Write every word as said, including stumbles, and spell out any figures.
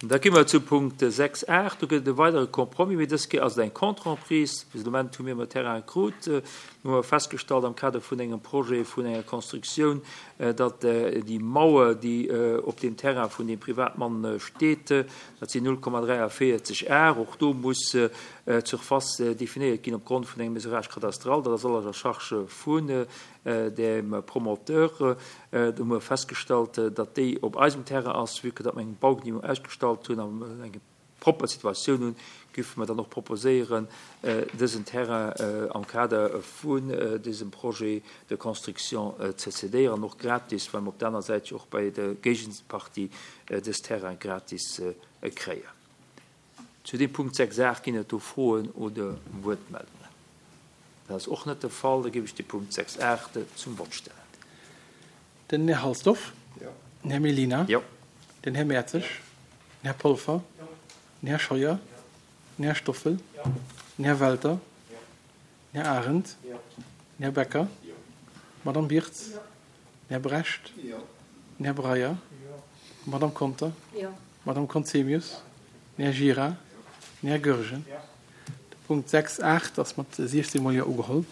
Da gi mer zu Punkt sechs aacht. Do gëtt et e weidere Compromis, mee dës Kéier ass et eng Contre-emprise. Bis de Moment hu mir ëmmer Terrain krut. Mir hu festgestallt am Kader vun engem Projet vun enger Constructioun, datt déi Mauer, déi op deem Terrain vun deem Privatmann steet, dat sinn null Komma dräiavéierzeg Ar. Och do muss d'Surface definéiert ginn opgrond vun engem Mesurage cadastral. Dat ass alles à charge vun dem Promoteur. Do hu mer festgestallt, datt déi op eisem Terrain ass, vue que datt mer eng Baugenehmigung ausgestallt hunn an eng propper Situatioun hunn, géife mer dann och proposéieren, dësen Terrain am Kader vun dësem Projet de construction ze cédéieren, och gratis, well mer op der aner Säit jo och bei der Géigepartie dës Terrain gratis kréien. Zu deem Punkt sechs aacht ginn et do Froen oder Wuertmeldungen? Dat ass och net de Fall. Da géif ech de Punkt sechs aacht zum Vott stellen. Den Här Halsdorf? Jo. Den Här Mellina? Jo. Den Här Mertzig? Den Här Polfer? Jo. Den Här Scheuer? Den Här Stoffel? Jo. Den Här Welter? Jo. Den Här Arendt? Jo. Den Här Becker? Jo. D'Madame Birtz? Jo. Den Här Brecht? Jo. Den Här Breyer? Jo. D'Madame Conter? Jo. D'Madame Conzemius? Den Här Gira? Den Här Goergen? Jo. De Punkt sechs aacht ass mat siechzéng Mol Jo ugeholl.